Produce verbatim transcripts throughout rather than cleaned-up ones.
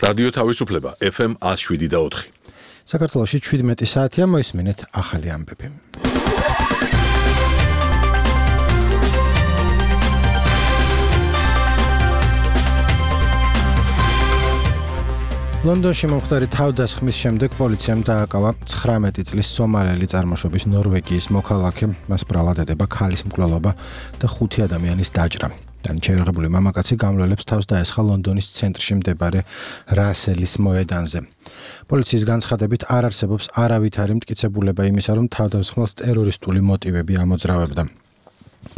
რადიო თავისუფლება ეფ ემ one oh seven და four. საქართველოში შვიდმეტი საათია, მოისმინეთ ახალი ამბები. ლონდონში მომხდარი თავდასხმის შემდეგ პოლიციამ დააკავა ცხრამეტი წლის სომალელი წარმოშობის ნორვეგიის მოქალაქე, მას ბრალად ედება ქალის მკვლელობა და ხუთი ადამიანის დაჭრა. განჩერღებული მამაკაცი გამლელებს თავს დაესხა ლონდონის ცენტრში მდებარე რასელის მოედანზე. პოლიციის განცხადებით არ არსებობს არავითარი მტკიცებულება იმისა, რომ თავდასხმელს ტერორისტული მოტივები ამოძრავებდა.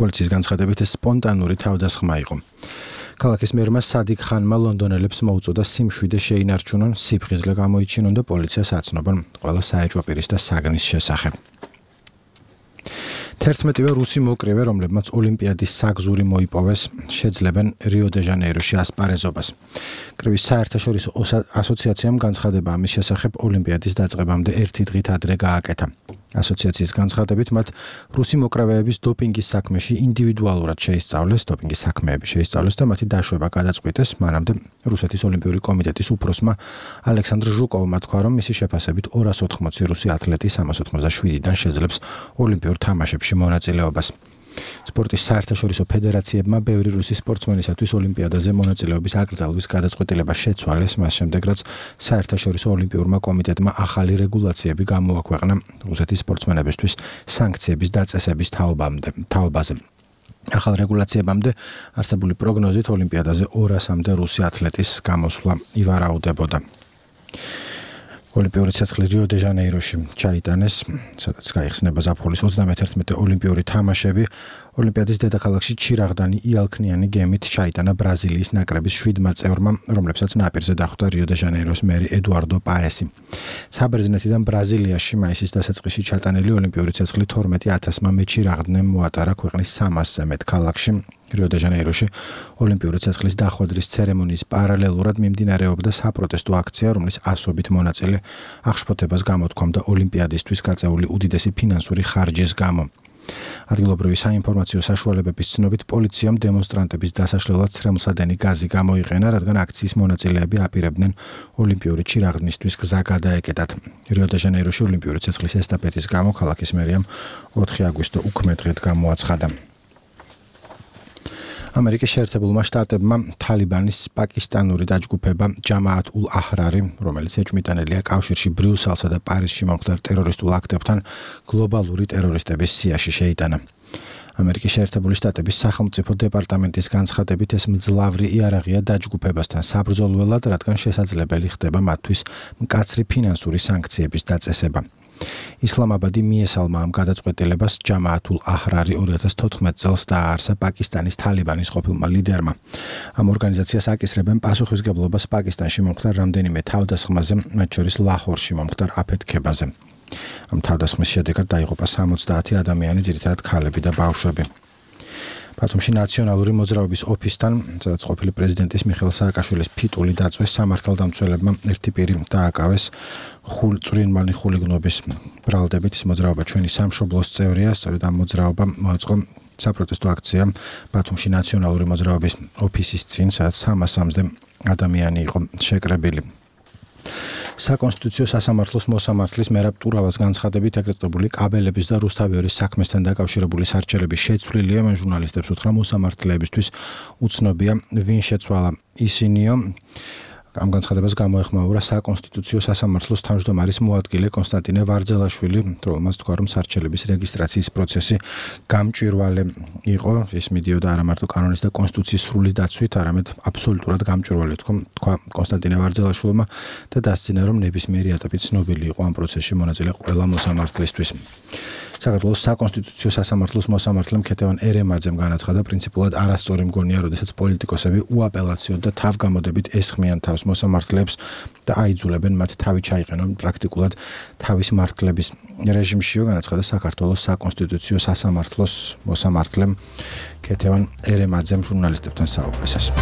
პოლიციის განცხადებით ეს სპონტანური თავდასხმა იყო. ქალაქის მერმა სადიკ ხანმა ლონდონელებს მოუწოდა სიმშვიდე შეინარჩუნონ, სიფხიზლე გამოიჩინონ და პოლიციას აცნობონ ყველა საეჭვო პირის და საგნის შესახებ. თერთმეტივე რუსი მოკრივე, რომლებმაც ოლიმპიადის საგზური მოიპოვეს, შეძლებენ რიო-დე-ჟანეიროში ასპარეზობას. კრივის საერთაშორისო ასოციაციამ განცხადება ამის შესახებ ოლიმპიადის დაწყებამდე ერთი დღით ადრე გააკეთა. ასოციაციის განცხადებით მათ რუსი მოკრავეების დოპინგის საქმეში ინდივიდუალურად შეისწავლეს, დოპინგის საქმეები შეისწავლეს და მათი დაშვება გადაწყვიტეს, მანამდე რუსეთის ოლიმპიური კომიტეტის უფროსმა ალექსანდრ ჟუკოვმა თქვა, რომ მისი შეფასებით ორას ოთხმოცი რუსი ათლეტი სამას ოცდაშვიდიდან შეძლებს ოლიმპიურ თამაშებში მონაწილეობას. სპორტის საერთაშორისო ფედერაციებმა ბევრი რუსი სპორტსმენისათვის ოლიმპიადაზე მონაწილეობის აკრძალვის გადაწყვეტილება შეცვალეს, მას შემდეგ რაც საერთაშორისო ოლიმპიურმა კომიტეტმა ახალი რეგულაციები გამოაქვეყნა რუსეთის სპორტსმენებისთვის სანქციების დაწესების თაობაზე. ახალ რეგულაციებამდე არსებული პროგნოზით ოლიმპიადაზე ორასამდე რუსი ათლეტის გამოსვლა ივარაუდებოდა. ოლიმპიური ცეცხლი რიო-დე-ჟანეიროში ჩაიტანეს, სადაც გაიხსნება ზაფხულის ოცდამეთერთმეტე ოლიმპიური თამაშები. ოლიმპიადის დედაქალაქში ჩირაღდანი იალქნიანი გემით ჩაიტანა ბრაზილიის ნაკრების შვიდმა წევრმა, რომლებსაც ნაპირზე დახვდა რიო-დე-ჟანეიროს მერი ედუარდო პაესი. საბერძნეთიდან ბრაზილიაში მაისის დასაწყისში ჩატანილი ოლიმპიური ცეცხლი თორმეტი ათასმა მეჩირაღდნემ მოატარა ქვეყნის სამასზე მეტ ქალაქში. რიო-დე-ჟანეიროში ოლიმპიური ცეცხლის დახვედრის ცერემონიის პარალელურად მიმდინარეობდა საპროტესტო აქცია, რომლის ასობით მონაწილე აღშფოთებას გამოთქვამდა ოლიმპიადისთვის გაწეული უდიდესი ფინანსური ხარჯის გამო. ადგილობრივი საინფორმაციო საშუალებების ცნობით პოლიციამ დემონსტრანტების დასაშლელად ცრემლსადენი გაზი გამოიყენა, რადგან აქციის მონაწილეები აპირებდნენ ოლიმპიური ჩირაღდნისთვის გზა გადაეკეტათ. რიო-დე-ჟანეიროში ოლიმპიური ცეცხლის ესტაფეტის გამო ქალაქის მერიამ ოთხი აგვისტო უქმე-დღედ გამოაცხადა. ამერიკის შეერთებულმა შტატებმა თალიბანის პაკისტანური დაჯგუფება ჯამაათ ულ აჰრარი, რომელიც ეჭვმიტანილია კავშირში ბრიუსელსა და პარიზში მომხდარ ტერორისტულ აქტებთან, გლობალური ტერორისტების სიაში შეიტანა. ამერიკის შეერთებული შტატების სახელმწიფო დეპარტამენტის განცხადებით ეს მძლავრი იარაღია დაჯგუფებასთან საბრძოლველად, რადგან შესაძლებელი ხდება მათთვის მკაცრი ფინანსური სანქციების დაწესება. ისლამაბადი მიესალმა ამ გადაწყვეტილებას ჯამაათ ულ აჰრარი ორი ათას თოთხმეტ წელს დააარსა პაკისტანის თალიბანის ყოფილმა ლიდერმა. ამ ორგანიზაციას აკისრებენ პასუხისგებლობას პაკისტანში მომხდარ რამდენიმე თავდასხმაზე, მათ შორის ლაჰორში მომხდარ აფეთქებაზე. ამ თავდასხმის შედეგად დაიღუპა სამოცდაათი ადამიანი, ძირითადად ქალები და ბავშვები. ბათუმში ნაციონალური მოძრაობის ოფისთან, სადაც ყოფილი პრეზიდენტის მიხეილ სააკაშვილის ფიტული დაწვეს, სამართალდამცველებმა ერთი პირი დააკავეს წვრილმანი ხულიგნობის ბრალდებით. ის მოძრაობა ჩვენი სამშობლოს წევრია, სწორედ ამ მოძრაობამ მოაწყო საპროტესტო აქცია ბათუმში ნაციონალური მოძრაობის ოფისის წინ, სადაც სამას სამოცდე ადამიანი იყო შეკრებილი. საკონსტიტუციო სასამართლოს მოსამართლის მერაბ ტურავას განცხადებით აკრიტიკებული კაბელების და რუსთავიორის საქმესთან დაკავშირებული სარჩელები შეცვლილია. მან ჟურნალისტებს უთხრა მოსამართლეებისთვის უცნობია ვინ შეცვალა ისინიო. ამ განცხადებას გამოეხმაურა საკონსტიტუციო სასამართლოს თავმჯდომარის მოადგილე კონსტანტინე ვარძელაშვილი, რომელმაც თქვა, რომ სარჩელების რეგისტრაციის პროცესი გამჭვირვალე იყო. ის მიდიოდა არა მარტო კანონის და კონსტიტუციის სრული დაცვით, არამედ აბსოლუტურად გამჭვირვალე თქვა კონსტანტინე ვარძელაშვილმა და დასძინა, რომ ნებისმიერი ეტაპი ცნობილი იყო ამ პროცესში მონაწილე ყველა მოსამართლისთვის. საქართველოს საკონსტიტუციო სასამართლოს მოსამართლემ ქეთევან ერემაძემ განაცხადა, პრინციპულად არასწორი მგონია, როდესაც პოლიტიკოსები უაპელაციოდ და თავგამოდებით ესხმიან თავს მოსამართლეებს და აიძულებენ მათ თავი ჩაიყენონ პრაქტიკულად თავის მართლების რეჟიმშიო, განაცხადა საქართველოს საკონსტიტუციო სასამართლოს მოსამართლემ ქეთევან ერემაძემ ჟურნალისტებთან საუბრისას.